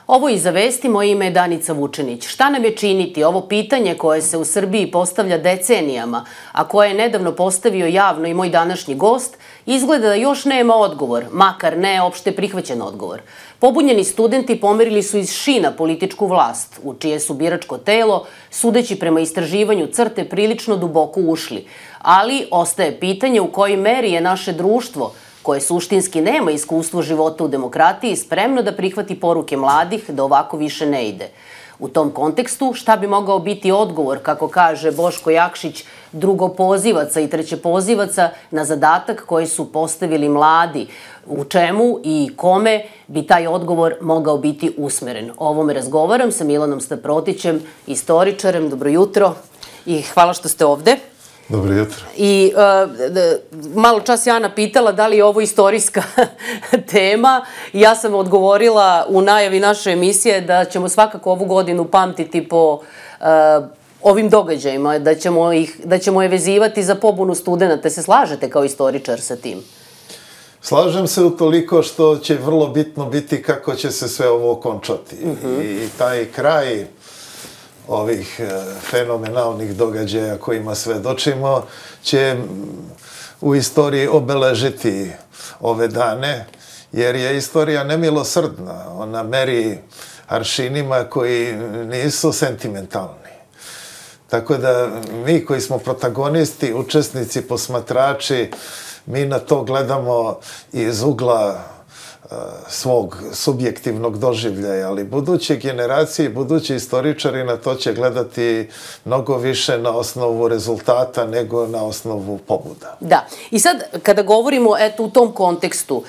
Ovo Iza vesti, moje ime je Danica Vučenić. Šta nam je činiti? Ovo pitanje koje se u Srbiji postavlja decenijama, a koje je nedavno postavio javno i moj današnji gost, izgleda da još nema odgovor, makar ne opšte prihvaćen odgovor. Pobunjeni studenti pomerili su iz šina političku vlast, u čije su biračko telo, sudeći prema istraživanju CRTE, prilično duboko ušli. Ali ostaje pitanje u kojoj meri je naše društvo, koje suštinski nema iskustvo života u demokratiji, spremno da prihvati poruke mladih da ovako više ne ide. U tom kontekstu, šta bi mogao biti odgovor, kako kaže Boško Jakšić, drugopozivaca i trećepozivaca na zadatak koji su postavili mladi? U čemu i kome bi taj odgovor mogao biti usmeren? O ovome razgovaram sa Milanom Staprotićem, istoričarem. Dobro jutro i hvala što ste ovde. Dobro jutro. I malo čas je Ana pitala da li je ovo istorijska tema. Ja sam odgovorila u najavi naše emisije da ćemo svakako ovu godinu pamtiti po ovim događajima, da ćemo je vezivati za pobunu studenta. Se slažete kao istoričar sa tim? Slažem se utoliko što će vrlo bitno biti kako će se sve ovo okončati. I taj kraj ovih fenomenalnih događaja kojima svedočimo će u istoriji obeležiti ove dane, jer je istorija nemilosrdna. Ona meri aršinima koji nisu sentimentalni. Tako da mi koji smo protagonisti, učesnici, posmatrači, mi na to gledamo iz ugla svog subjektivnog doživljaja, ali buduće generacije, budući istoričari na to će gledati mnogo više na osnovu rezultata nego na osnovu pobuda. Da. I sad, kada govorimo u tom kontekstu,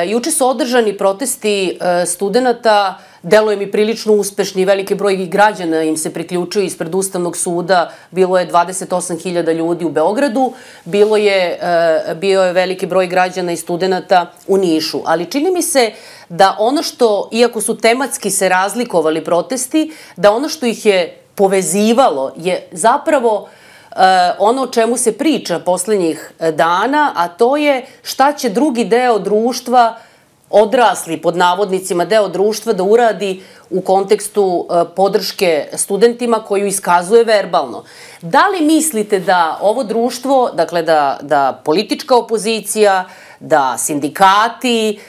juče su održani protesti studenta, deluje mi prilično uspešni, veliki broj građana im se priključio ispred Ustavnog suda, bilo je 28.000 ljudi u Beogradu, bio je veliki broj građana i studenta u Nišu. Ali čini mi se da ono što, iako su tematski se razlikovali protesti, da ono što ih je povezivalo je zapravo ono o čemu se priča poslednjih dana, a to je šta će drugi deo društva, odrasli, pod navodnicima, deo društva da uradi u kontekstu podrške studentima koju iskazuje verbalno. Da li mislite da ovo društvo, dakle da politička opozicija, da sindikati,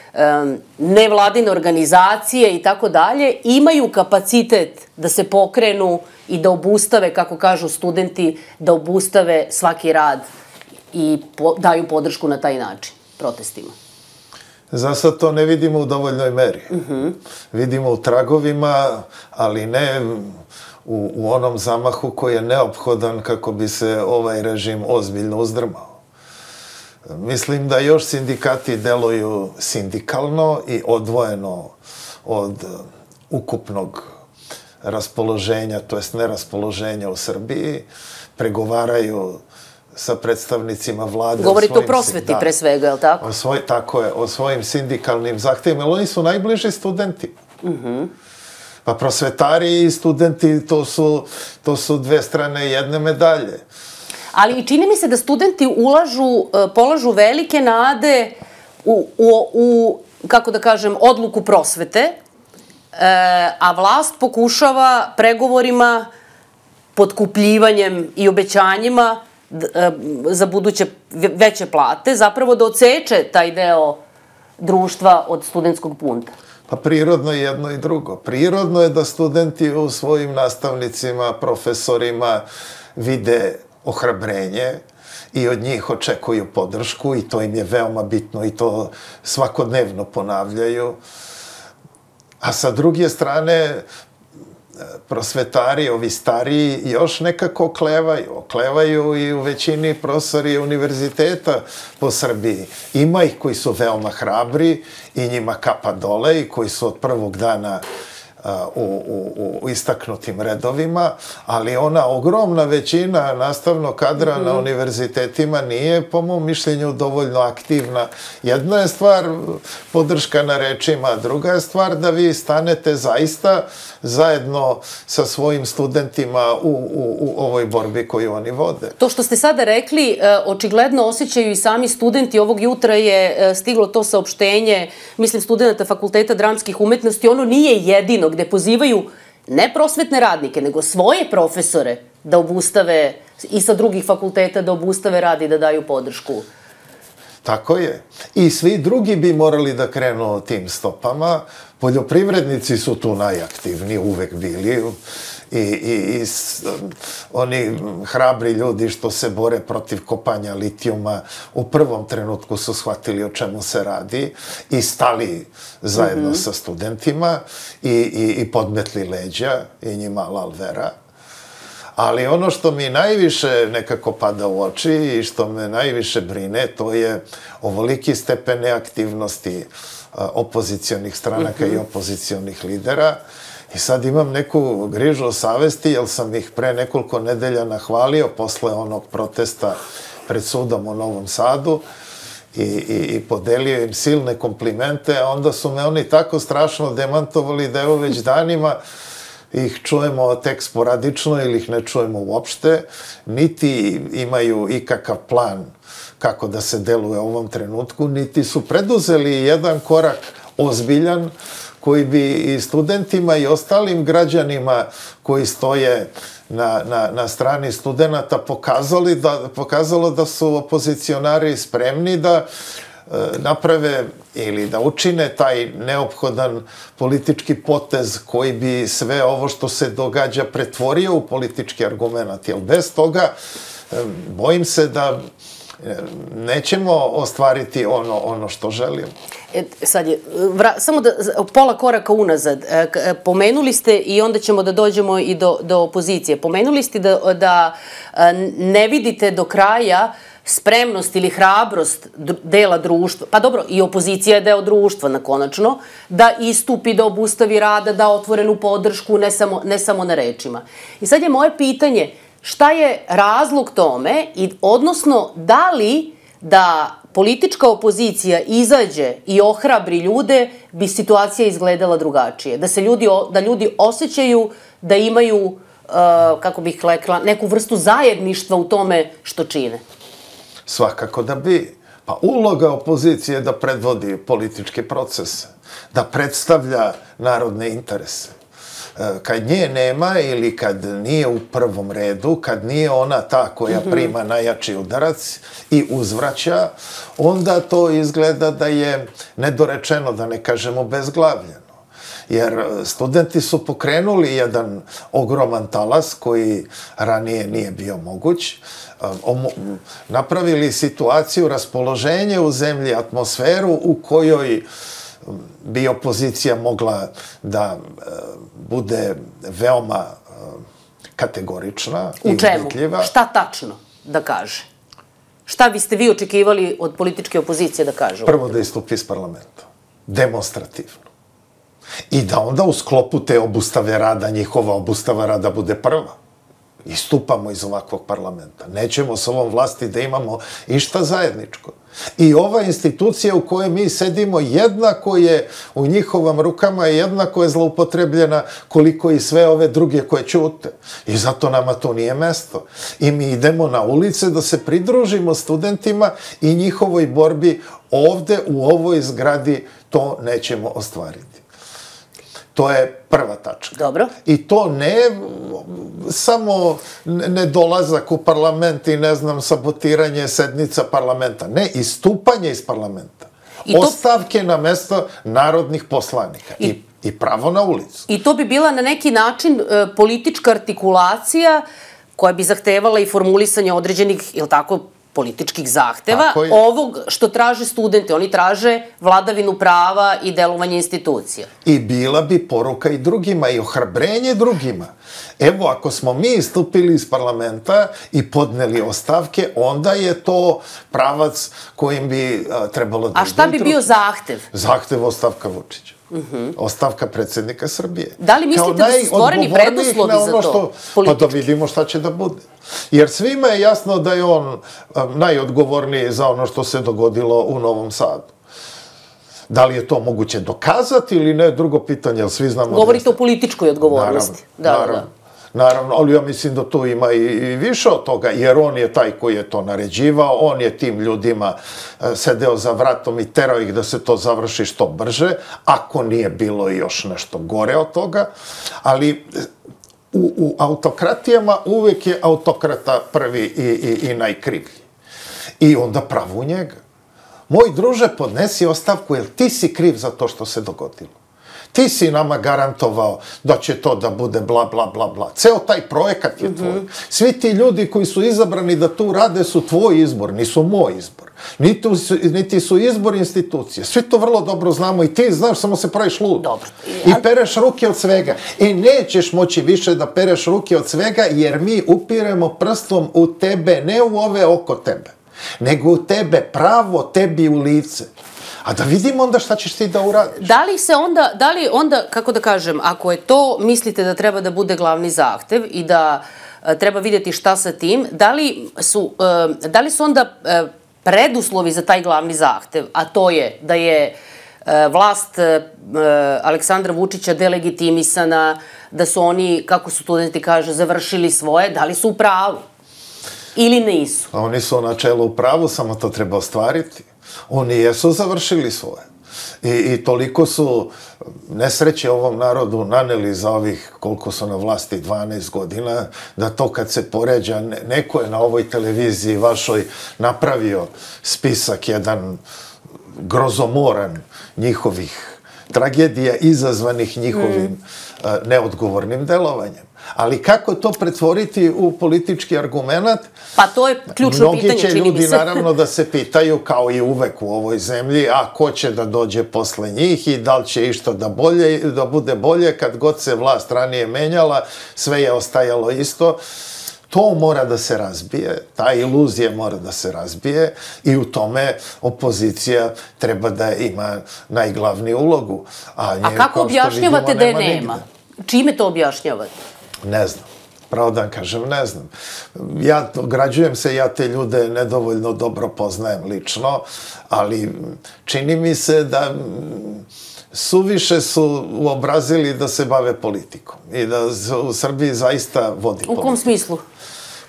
nevladine organizacije i tako dalje imaju kapacitet da se pokrenu i da obustave, kako kažu studenti, da obustave svaki rad i daju podršku na taj način protestima? Za sad to ne vidimo u dovoljnoj meri. Vidimo u tragovima, ali ne u onom zamahu koji je neophodan kako bi se ovaj režim ozbiljno uzdrmao. Mislim da još sindikati deluju sindikalno i odvojeno od ukupnog raspoloženja, to jest neraspoloženja u Srbiji, pregovaraju sa predstavnicima vlade. Govorite o prosveti pre svega, je li tako? Tako je, o svojim sindikalnim zahtevima, ali oni su najbliži studenti. Pa prosvetari i studenti, to su dve strane jedne medalje. Ali i čini mi se da studenti polažu velike nade u, kako da kažem, odluku prosvete, a vlast pokušava pregovorima, potkupljivanjem i obećanjima za buduće veće plate, zapravo da odseče taj deo društva od studentskog bunta. Pa prirodno je jedno i drugo. Prirodno je da studenti u svojim nastavnicima, profesorima vide ohrabrenje i od njih očekuju podršku i to im je veoma bitno i to svakodnevno ponavljaju. A sa druge strane, prosvetari, ovi stariji, još nekako oklevaju. Oklevaju i u većini profesori univerziteta po Srbiji. Ima ih koji su veoma hrabri i njima kapa dole i koji su od prvog dana u istaknutim redovima, ali ona ogromna većina nastavnog kadra na univerzitetima nije, po mom mišljenju, dovoljno aktivna. Jedna je stvar podrška na rečima, a druga je stvar da vi stanete zaista zajedno sa svojim studentima u ovoj borbi koju oni vode. To što ste sada rekli, očigledno osjećaju i sami studenti. Ovog jutra je stiglo to saopštenje, mislim, studenta Fakulteta dramskih umetnosti. Ono nije jedino gde pozivaju ne prosvetne radnike, nego svoje profesore da obustave i sa drugih fakulteta da obustave rad i da daju podršku. Tako je. I svi drugi bi morali da krenu tim stopama. Poljoprivrednici su tu najaktivniji, uvek bili. I oni hrabri ljudi što se bore protiv kopanja litijuma u prvom trenutku su shvatili o čemu se radi i stali zajedno sa studentima i podmetli leđa i njima lal vera. Ali ono što mi najviše nekako pada u oči i što me najviše brine, to je ovoliki stepen neaktivnosti opozicionih stranaka i opozicionih lidera. I sad imam neku grižu o savesti, jer sam ih pre nekoliko nedelja nahvalio posle onog protesta pred sudom u Novom Sadu i podelio im silne komplimente, a onda su me oni tako strašno demantovali da evo već danima ih čujemo tek sporadično ili ih ne čujemo uopšte, niti imaju ikakav plan kako da se deluje u ovom trenutku, niti su preduzeli jedan korak ozbiljan koji bi i studentima i ostalim građanima koji stoje na strani studenta pokazalo da su opozicionari spremni da naprave ili da učine taj neophodan politički potez koji bi sve ovo što se događa pretvorio u politički argument. Jer bez toga bojim se da nećemo ostvariti ono što želimo. Sad je, samo pola koraka unazad. Pomenuli ste i onda ćemo da dođemo i do opozicije. Pomenuli ste da ne vidite do kraja spremnost ili hrabrost dela društva, pa dobro, i opozicija je deo društva, konačno, da istupi, da obustavi rada, da otvorenu podršku, ne samo na rečima. I sad je moje pitanje, šta je razlog tome, odnosno da li da politička opozicija izađe i ohrabri ljude, bi situacija izgledala drugačije? Da ljudi osjećaju da imaju, kako bih rekla, neku vrstu zajedništva u tome što čine? Svakako da bi. Pa uloga opozicije je da predvodi političke procese, da predstavlja narodne interese. Kad nje nema ili kad nije u prvom redu, kad nije ona ta koja prima najjači udarac i uzvraća, onda to izgleda da je nedorečeno, da ne kažemo bezglavljeno. Jer studenti su pokrenuli jedan ogroman talas koji ranije nije bio moguć, napravili situaciju, raspoloženje u zemlji, atmosferu u kojoj bi opozicija mogla da bude veoma kategorična i ubetljiva. U čemu? Šta tačno da kaže? Šta biste vi očekivali od političke opozicije da kažu? Prvo da istupi iz parlamenta. Demonstrativno. I da onda u sklopu te obustave rada, njihova obustava rada bude prva. Istupamo iz ovakvog parlamenta. Nećemo s ovom vlasti da imamo išta zajedničko. I ova institucija u kojoj mi sedimo jednako je u njihovim rukama i jednako je zloupotrebljena koliko i sve ove druge koje ćute. I zato nama to nije mesto. I mi idemo na ulice da se pridružimo studentima i njihovoj borbi ovde u ovoj zgradi to nećemo ostvariti. To je prva tačka. Dobro. I to ne samo nedolazak u parlament i, ne znam, sabotiranje sednica parlamenta. Ne, istupanje iz parlamenta. Ostavke na mesto narodnih poslanika. I pravo na ulicu. I to bi bila na neki način politička artikulacija koja bi zahtevala i formulisanje određenih, je li tako, političkih zahteva, ovog što traže studente. Oni traže vladavinu prava i delovanje institucija. I bila bi poruka i drugima i ohrabrenje drugima. Evo, ako smo mi istupili iz parlamenta i podneli ostavke, onda je to pravac kojim bi trebalo da... A šta bi bio zahtev? Zahtev ostavka Vučića. Ostavka predsjednika Srbije. Da li mislite da su stvoreni preduslovi za to? Pa da vidimo šta će da bude. Jer svima je jasno da je on najodgovorniji za ono što se dogodilo u Novom Sadu. Da li je to moguće dokazati ili ne, drugo pitanje, jer svi znamo... Govorite o političkoj odgovornosti. Naravno. Naravno, ali ja mislim da tu ima i više od toga, jer on je taj koji je to naređivao, on je tim ljudima sedeo za vratom i terao ih da se to završi što brže, ako nije bilo još nešto gore od toga, ali u autokratijama uvek je autokrata prvi i najkrivlji. I onda pravu njega. Moj druže, podnesi ostavku, jer ti si kriv za to što se dogodilo. Ti si nama garantovao da će to da bude bla, bla, bla, bla. Ceo taj projekat je tvoj. Svi ti ljudi koji su izabrani da tu rade su tvoj izbor, nisu moj izbor. Niti su izbor institucije. Svi to vrlo dobro znamo i ti znaš, samo se praviš lud. I pereš ruke od svega. I nećeš moći više da pereš ruke od svega, jer mi upiremo prstom u tebe, ne u ove oko tebe, nego u tebe, pravo tebi u lice. A da vidimo onda šta ćeš ti da uradiš. Da li onda, kako da kažem, ako je to, mislite da treba da bude glavni zahtev i da treba vidjeti šta sa tim, da li su onda preduslovi za taj glavni zahtev, a to je da je vlast Aleksandra Vučića delegitimisana, da su oni, kako su studenti kaže, završili svoje, da li su u pravu? Ili nisu? Oni su na čelu u pravu, samo to treba ostvariti. Oni jesu završili svoje. I toliko su nesreće ovom narodu naneli za ovih, koliko su na vlasti, 12 godina, da to kad se poređa, neko je na ovoj televiziji vašoj napravio spisak jedan grozomoran njihovih tragedija izazvanih njihovim neodgovornim delovanjem. Ali kako to pretvoriti u politički argument? Pa to je ključno pitanje, čini mi se. Mnogi će ljudi naravno da se pitaju, kao i uvek u ovoj zemlji, a ko će da dođe posle njih i da li će išta da bude bolje, kad god se vlast ranije menjala, sve je ostajalo isto. To mora da se razbije, ta iluzija mora da se razbije i u tome opozicija treba da ima najglavniju ulogu. A kako objašnjavate da je nema? Čime to objašnjavate? Ne znam. Pravo da vam kažem, ne znam. Ja građujem se, ja te ljude nedovoljno dobro poznajem lično, ali čini mi se da suviše su uobrazili da se bave politikom i da u Srbiji zaista vodi politiku. U kom smislu?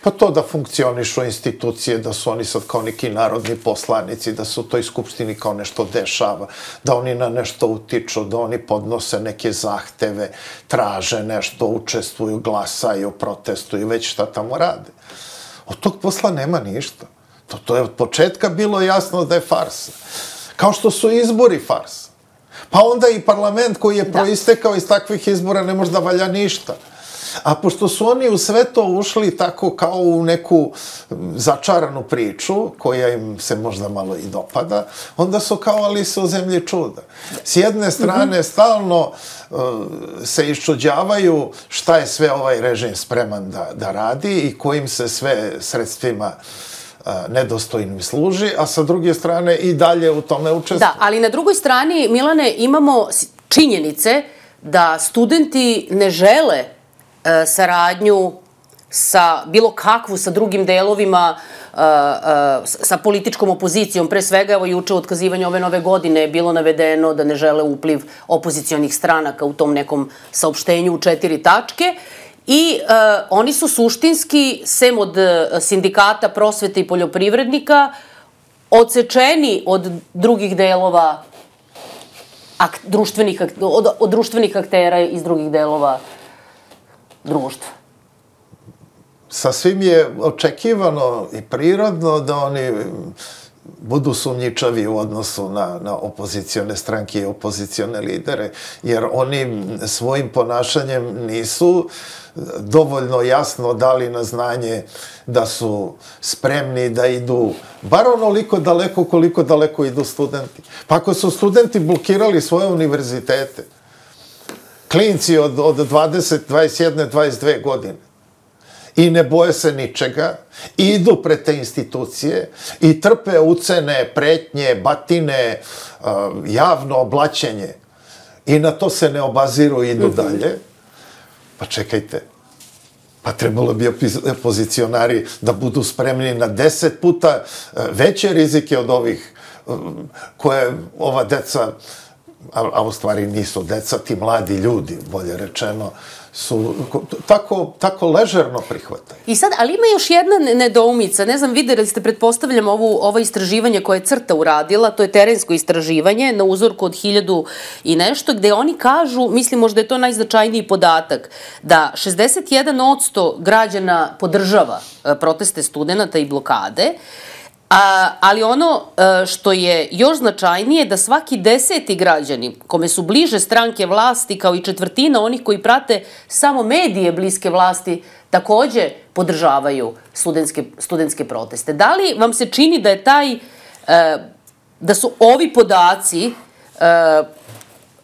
Pa to da funkcionišu institucije, da su oni sad kao neki narodni poslanici, da se u toj skupštini kao nešto dešava, da oni na nešto utiču, da oni podnose neke zahteve, traže nešto, učestvuju, glasaju, protestuju, već šta tamo rade. Od tog posla nema ništa. To je od početka bilo jasno da je farsa. Kao što su izbori farsa. Pa onda i parlament koji je proistekao iz takvih izbora ne može da valja ništa. A pošto su oni u sve to ušli tako kao u neku začaranu priču, koja im se možda malo i dopada, onda su kao Alisa u zemlji čuda. S jedne strane stalno se iščuđavaju šta je sve ovaj režim spreman da radi i kojim se sve sredstvima nedostojnim služi, a sa druge strane i dalje u tome učestvuju. Da, ali na drugoj strani, Milane, imamo činjenice da studenti ne žele saradnju sa bilo kakvu, sa drugim delovima, sa političkom opozicijom. Pre svega, evo juče u otkazivanju ove nove godine je bilo navedeno da ne žele upliv opozicionih stranaka u tom nekom saopštenju u 4 tačke. I oni su suštinski, sem od sindikata prosvete i poljoprivrednika, odsečeni od drugih delova, od društvenih aktera iz drugih delova društva. Sasvim je očekivano i prirodno da oni budu sumnjičavi u odnosu na opozicione stranke i opozicione lidere, jer oni svojim ponašanjem nisu dovoljno jasno dali na znanje da su spremni da idu bar onoliko daleko koliko daleko idu studenti. Pa ako su studenti blokirali svoje univerzitete, klinci od 20, 21, 22 godine, i ne boje se ničega, i idu pred te institucije i trpe ucene, pretnje, batine, javno oblaćenje i na to se ne obaziru i idu dalje, pa čekajte, pa trebalo bi opozicionari da budu spremni na 10 puta veće rizike od ovih koje ova deca, a u stvari nisu deca, ti mladi ljudi, bolje rečeno, su tako ležerno prihvataju. I sad, ali ima još jedna nedoumica, ne znam, videli ste, pretpostavljam, ovo istraživanje koje je CRTA uradila, to je terensko istraživanje na uzorku od 1000 i nešto, gde oni kažu, mislim možda je to najznačajniji podatak, da 61% građana podržava proteste studenta i blokade, ali ono što je još značajnije da svaki 10. građani, kome su bliže stranke vlasti, kao i 1/4 onih koji prate samo medije bliske vlasti, takođe podržavaju studentske proteste. Da li vam se čini da je da su ovi podaci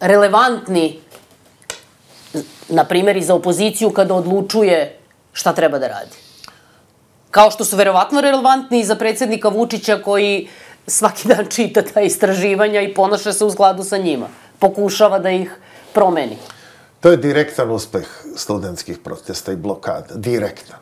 relevantni, na primjer, i za opoziciju kada odlučuje šta treba da radi? Kao što su verovatno relevantni i za predsjednika Vučića koji svaki dan čita ta istraživanja i ponaša se u skladu sa njima. Pokušava da ih promeni. To je direktan uspeh studentskih protesta i blokada. Direktan.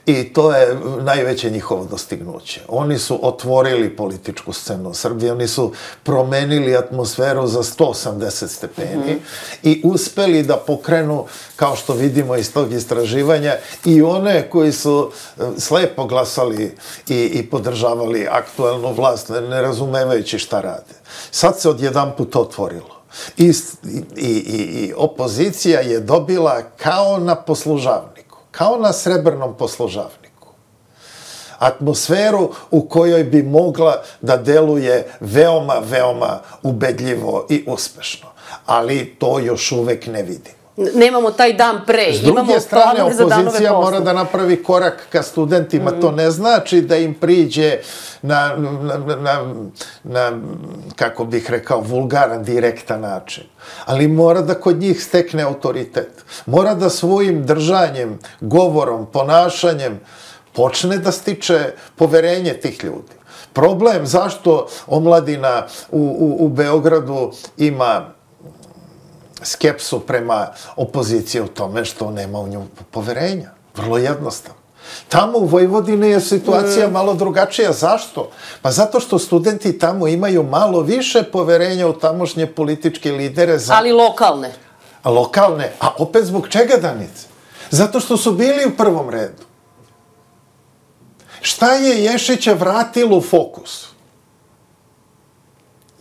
I to je najveće njihovo dostignuće. Oni su otvorili političku scenu u Srbiji, oni su promenili atmosferu za 180 stepeni i uspeli da pokrenu, kao što vidimo iz tog istraživanja, i one koji su slepo glasali i podržavali aktuelnu vlast, ne razumevajući šta rade. Sad se odjedanput otvorilo. I opozicija je dobila kao na poslužavniku, kao na srebrnom poslužavniku, atmosferu u kojoj bi mogla da deluje veoma, veoma ubedljivo i uspešno. Ali to još uvek ne vidimo. Nemamo taj dan pre, imamo planove za danove posle. Opozicija mora da napravi korak ka studentima. To ne znači da im priđe na, kako bih rekao, vulgaran, direktan način. Ali mora da kod njih stekne autoritet. Mora da svojim držanjem, govorom, ponašanjem počne da stiče poverenje tih ljudi. Problem zašto omladina u Beogradu ima skepsu prema opoziciji u tome što nema u nju poverenja. Vrlo jednostavno. Tamo u Vojvodini je situacija malo drugačija. Zašto? Pa zato što studenti tamo imaju malo više poverenja u tamošnje političke lidere. Ali lokalne. Lokalne. A opet zbog čega, Danice? Zato što su bili u prvom redu. Šta je Ješića vratilo u fokus?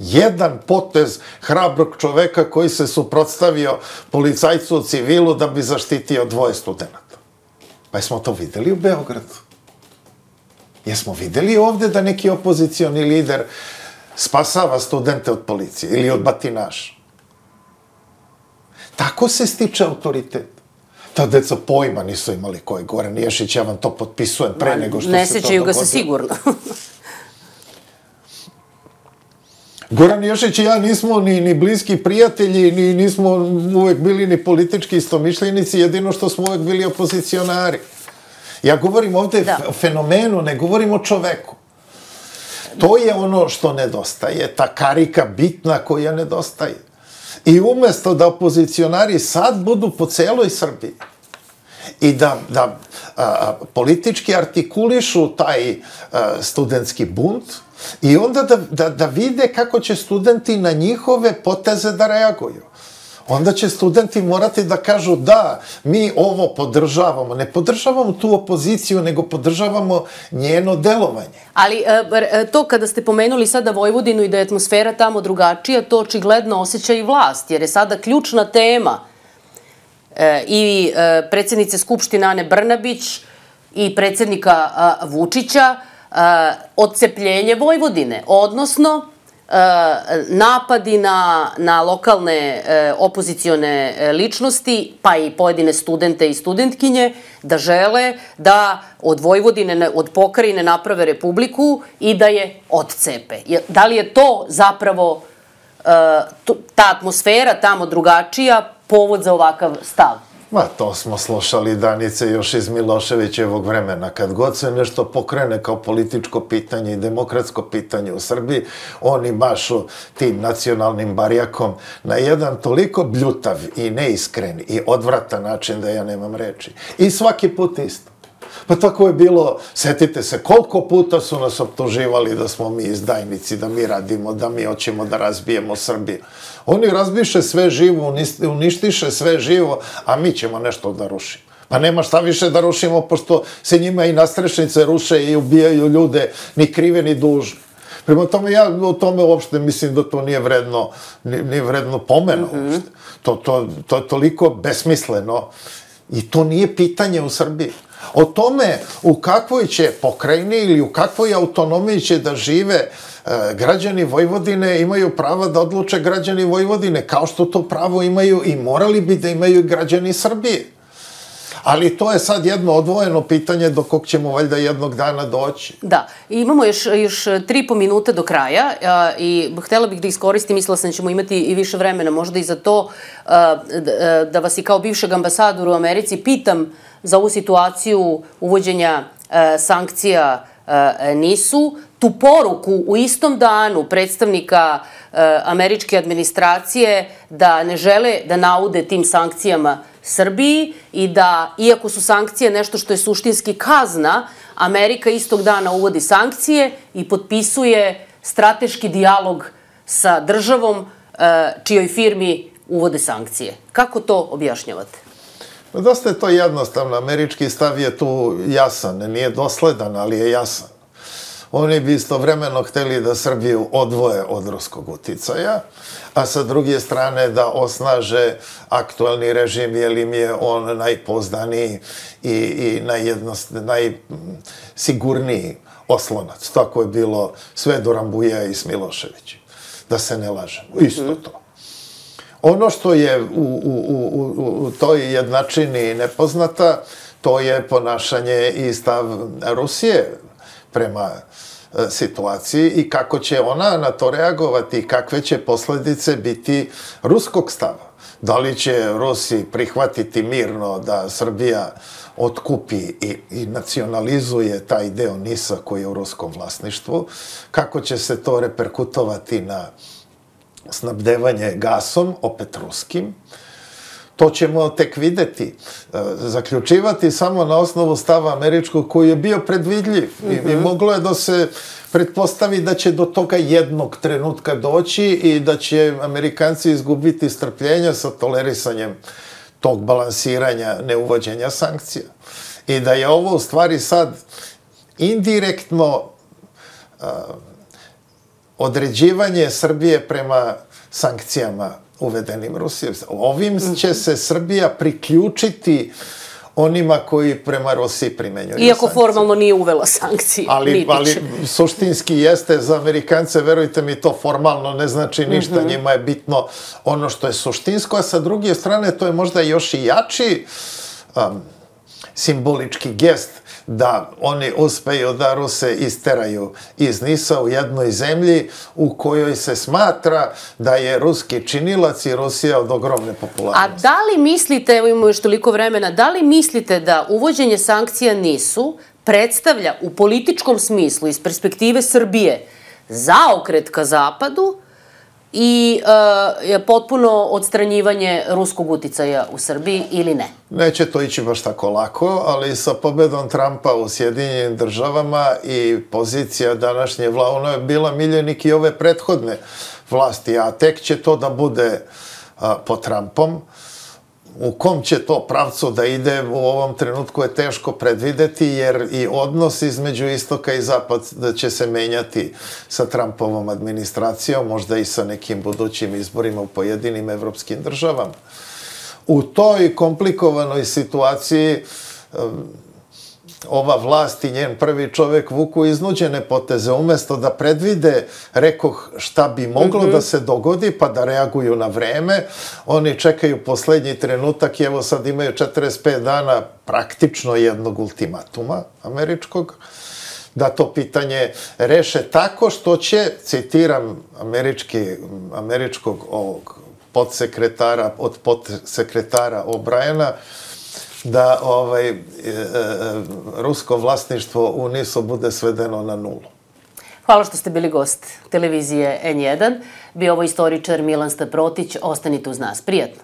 Jedan potez hrabrog čoveka koji se suprotstavio policajcu u civilu da bi zaštitio 2 studenta. Pa jesmo to videli u Beogradu? Jesmo videli ovde da neki opozicioni lider spasava studente od policije ili od batinaša? Tako se stiče autoritet. Ta deca pojma nisu imali ko je Goran Ješić, ja vam to potpisujem pre nego što se to dogodilo. Ne sećaju ga se sigurno. Goran Ješić i ja nismo ni bliski prijatelji, ni nismo uvek bili ni politički istomišljenici, jedino što smo uvek bili opozicionari. Ja govorim ovde o fenomenu, ne govorim o čoveku. To je ono što nedostaje, ta karika bitna koja nedostaje. I umesto da opozicionari sad budu po celoj Srbiji i da politički artikulišu taj studentski bunt, i onda da vide kako će studenti na njihove poteze da reaguju. Onda će studenti morati da kažu da, mi ovo podržavamo. Ne podržavamo tu opoziciju, nego podržavamo njeno delovanje. Ali to kada ste pomenuli sada Vojvodinu i da je atmosfera tamo drugačija, to očigledno osjeća i vlast, jer je sada ključna tema i predsjednice Skupštine Ane Brnabić i predsjednika Vučića odcepljenje Vojvodine, odnosno napadi na lokalne opozicione ličnosti, pa i pojedine studente i studentkinje, da žele da od Vojvodine, od pokrajine naprave republiku i da je odcepe. Da li je to zapravo ta atmosfera tamo drugačija, povod za ovakav stav? Ma, to smo slušali, Danice, još iz Miloševićevog vremena. Kad god se nešto pokrene kao političko pitanje i demokratsko pitanje u Srbiji, oni mašu tim nacionalnim barjakom na jedan toliko bljutav i neiskren i odvratan način da ja nemam reči. I svaki put isto. Pa tako je bilo, setite se, koliko puta su nas optuživali da smo mi izdajnici, da mi radimo, da mi hoćemo da razbijemo Srbiju. Oni razbiše sve živo, uništiše sve živo, a mi ćemo nešto da rušimo. Pa nema šta više da rušimo, pošto se njima i nastrešnice ruše i ubijaju ljude, ni krive, ni dužne. Prema tome, ja o tome uopšte mislim da to nije vredno pomena uopšte. To je toliko besmisleno i to nije pitanje u Srbiji. O tome u kakvoj će pokrajini ili u kakvoj autonomiji će da žive građani Vojvodine imaju prava da odluče građani Vojvodine, kao što to pravo imaju i morali bi da imaju građani Srbije. Ali to je sad jedno odvojeno pitanje do kog ćemo valjda jednog dana doći. Da, imamo još 3,5 minuta do kraja i htela bih da iskoristim, mislila sam da ćemo imati i više vremena, možda i za to, da vas i kao bivšeg ambasadora u Americi pitam za ovu situaciju uvođenja sankcija NIS-u, tu poruku u istom danu predstavnika američke administracije da ne žele da naude tim sankcijama Srbiji i da, iako su sankcije nešto što je suštinski kazna, Amerika istog dana uvodi sankcije i potpisuje strateški dijalog sa državom čijoj firmi uvode sankcije. Kako to objašnjavate? Dosta je to jednostavno. Američki stav je tu jasan. Nije dosledan, ali je jasan. Oni bi istovremeno hteli da Srbiju odvoje od ruskog uticaja, a sa druge strane da osnaže aktualni režim, jer im je on najpouzdaniji i najsigurniji oslonac. Tako je bilo sve do Rambuja i s Miloševićem. Da se ne lažemo. Isto to. Ono što je u toj jednačini nepoznata, to je ponašanje i stav Rusije prema situaciji i kako će ona na to reagovati i kakve će posledice biti ruskog stava. Da li će Rusi prihvatiti mirno da Srbija otkupi i nacionalizuje taj deo NIS-a koji je u ruskom vlasništvu, kako će se to reperkutovati na snabdevanje gasom, opet ruskim, to ćemo tek videti. Zaključivati samo na osnovu stava američkog koji je bio predvidljiv i moglo je da se pretpostavi da će do toga jednog trenutka doći i da će Amerikanci izgubiti strpljenja sa tolerisanjem tog balansiranja neuvođenja sankcija. I da je ovo u stvari sad indirektno određivanje Srbije prema sankcijama uvedenim Rusijom. Ovim će se Srbija priključiti onima koji prema Rusiji primenjuju sankcije. Iako formalno nije uvela sankcije. Ali suštinski jeste za Amerikance, verujte mi, to formalno ne znači ništa. Njima je bitno ono što je suštinsko, a sa druge strane to je možda još i jači simbolički gest da oni uspeju da Ruse isteraju iz NIS-a u jednoj zemlji u kojoj se smatra da je ruski činilac i Rusija od ogromne popularnosti. A da li mislite, evo imamo još toliko vremena, da li mislite da uvođenje sankcija NIS-u predstavlja u političkom smislu iz perspektive Srbije zaokret ka zapadu i potpuno odstranjivanje ruskog uticaja u Srbiji ili ne? Neće to ići baš tako lako, ali sa pobedom Trumpa u Sjedinjenim državama i pozicija današnje vlade, ona je bila miljenik i ove prethodne vlasti, a tek će to da bude pod Trumpom. U kom će to pravcu da ide u ovom trenutku je teško predvideti, jer i odnos između istoka i zapada će se menjati sa Trumpovom administracijom, možda i sa nekim budućim izborima u pojedinim evropskim državama. U toj komplikovanoj situaciji ova vlast i njen prvi čovek vuku iznuđene poteze. Umesto da predvide, rekoh, šta bi moglo da se dogodi, pa da reaguju na vreme, oni čekaju poslednji trenutak i evo sad imaju 45 dana praktično jednog ultimatuma američkog, da to pitanje reše tako što će, citiram američkog podsekretara, od podsekretara O'Briena, da rusko vlasništvo u NIS-u bude svedeno na nulu. Hvala što ste bili gost televizije N1. Bio ovo istoričar Milan Staprotić. Ostanite uz nas. Prijatno.